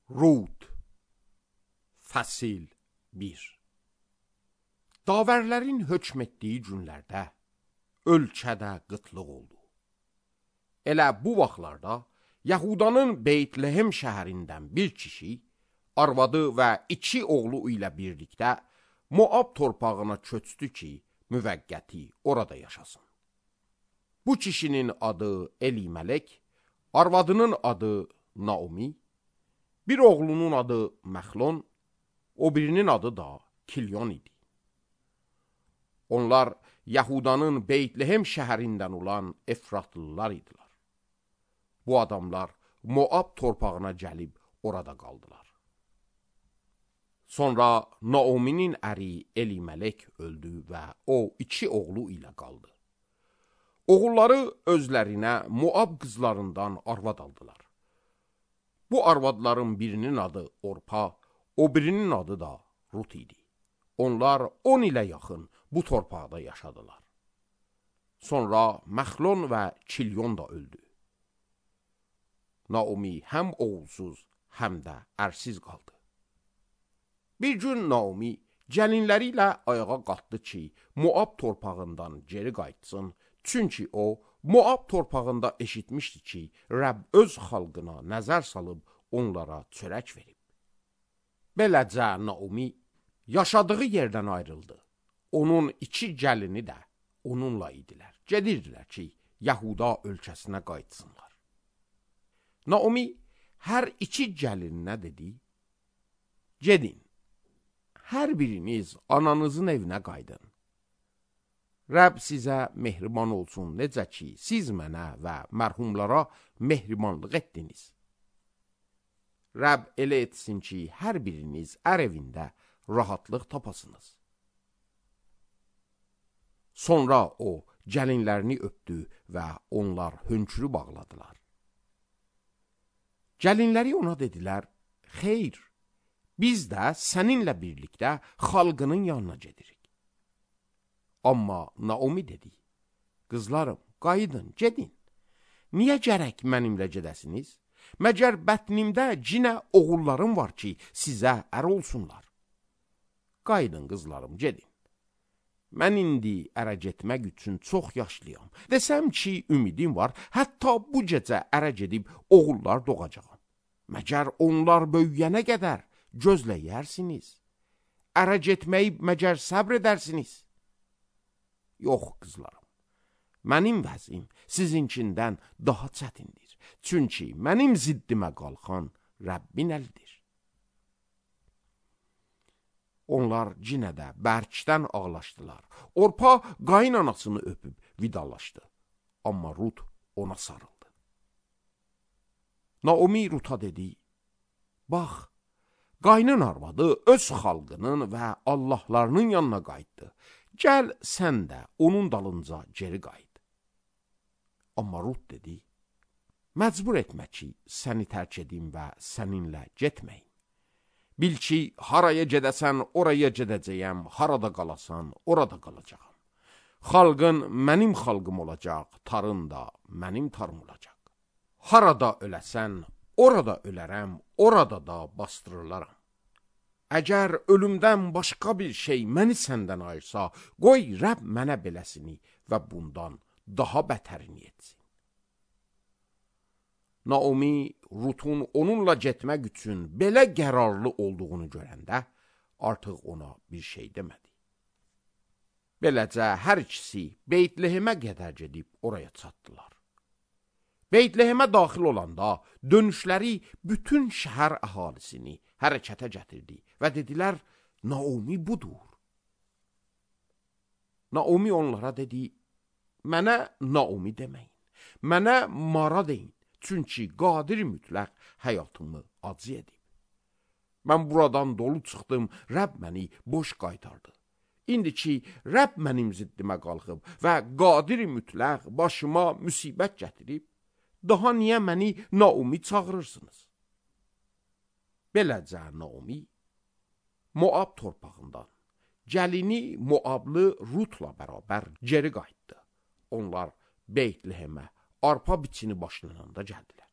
Rut Fəsil 1. Davərlərin hökm etdiyi günlərdə ölkədə qıtlıq oldu. Elə bu vaxtlarda Yahudanın Beytlehem şəhərindən bir kişi, arvadı və 2 oğlu ilə birlikdə Moab torpağına köçdü ki, müvəqqəti orada yaşasın. Bu kişinin adı Elimelek, arvadının adı Naomi, bir oğlunun adı Məxlon, o birinin adı da Kilyon idi. Onlar Yahudanın Beytlehem şəhərindən olan Efratlılar idilər. Bu adamlar Moab torpağına gəlib orada qaldılar. Sonra Naomi'nin əri Elimelek öldü və o 2 oğlu ilə qaldı. Oğulları özlərinə Moab qızlarından arvad aldılar. Bu arvadların birinin adı Orpa, o birinin adı da Rut idi. Onlar 10 ilə yaxın bu torpaqda yaşadılar. Sonra Məxlon və Kilyon da öldü. Naomi həm oğulsuz, həm də ərsiz qaldı. Bir gün Naomi gəlinləri ilə ayağa qalxdı ki, Moab torpağından geri qayıtsın, çünki o, Moab torpağında eşitmişdi ki, Rəbb öz xalqına nəzər salıb onlara çörək verib. Beləcə Naomi yaşadığı yerdən ayrıldı. Onun 2 gəlini də onunla idilər. Gedirdilər ki, Yahuda ölkəsinə qayıtsınlar. Naomi hər 2 gəlininə dedi, gedin, hər biriniz ananızın evinə qaydın. Rəbb sizə mehriban olsun, necə ki, siz mənə və mərhumlara mehribanlıq etdiniz. Rəbb elə etsin ki, hər biriniz ər evində rahatlıq tapasınız. Sonra o, gəlinlərini öpdü və onlar hönkürü bağladılar. Gəlinləri ona dedilər, xeyr, biz də səninlə birlikdə xalqının yanına gedirik. Amma Naomi dedi, qızlarım, qayıdın, gedin. Niyə gərək mənimlə gedəsiniz? Məgər bətnimdə cinə oğullarım var ki, sizə ər olsunlar. Qayıdın, qızlarım, gedin. Mən indi ərə getmək üçün çox yaşlıyam. Desəm ki, ümidim var, hətta bu gecə ərə gedib oğullar doğacağam. Məgər onlar böyüyənə qədər gözləyərsiniz? Ərə getməyi məgər səbr edərsiniz? Yox, qızlarım, mənim vəzim sizinkindən daha çətindir. Çünki mənim ziddimə qalxan Rəbbin əlidir. Onlar yenə də bərkdən ağlaşdılar. Orpa qaynanasını öpüb vidalaşdı. Amma Rut ona sarıldı. Naomi Rut'a dedi, bax, qaynın arvadı öz xalqının və Allahlarının yanına qayıtdı. Gəl sən də onun dalınca geri qayıt. Amma Rut dedi, məcbur etmə ki, səni tərk edim və səninlə getməyim. Bil ki, haraya gedəsən, oraya gedəcəyəm, harada qalasan, orada qalacağam. Xalqın mənim xalqım olacaq, tarın da mənim tarım olacaq. Harada öləsən, orada ölərəm, orada da bastırılaram. Əgər ölümdən başqa bir şey məni səndən ayırsa, qoy Rəbb mənə beləsini və bundan daha bətərini etsin. Naomi, Rut'un onunla getmək üçün belə qərarlı olduğunu görəndə, artıq ona bir şey demədi. Beləcə, hər ikisi Beytlehemə qədər gedib oraya çatdılar. Beytlehemə daxil olanda dönüşləri bütün şəhər əhalisini hərəkətə gətirdi və dedilər, Naomi budur. Naomi onlara dedi, mənə Naomi deməyin, mənə Mara deyin, çünki qadir mütləq həyatımı acı edib. Mən buradan dolu çıxdım, Rəbb məni boş qaytardı. İndi ki, Rəbb mənim ziddimə qalxıb və qadir mütləq başıma müsibət gətirib, daha niyə məni Naomi çağırırsınız? Beləcə Naomi Moab torpağından gəlini Moablı Rut'la bərabər geri qayıtdı. Onlar Beytlehemə arpa biçini başlananda gəldilər.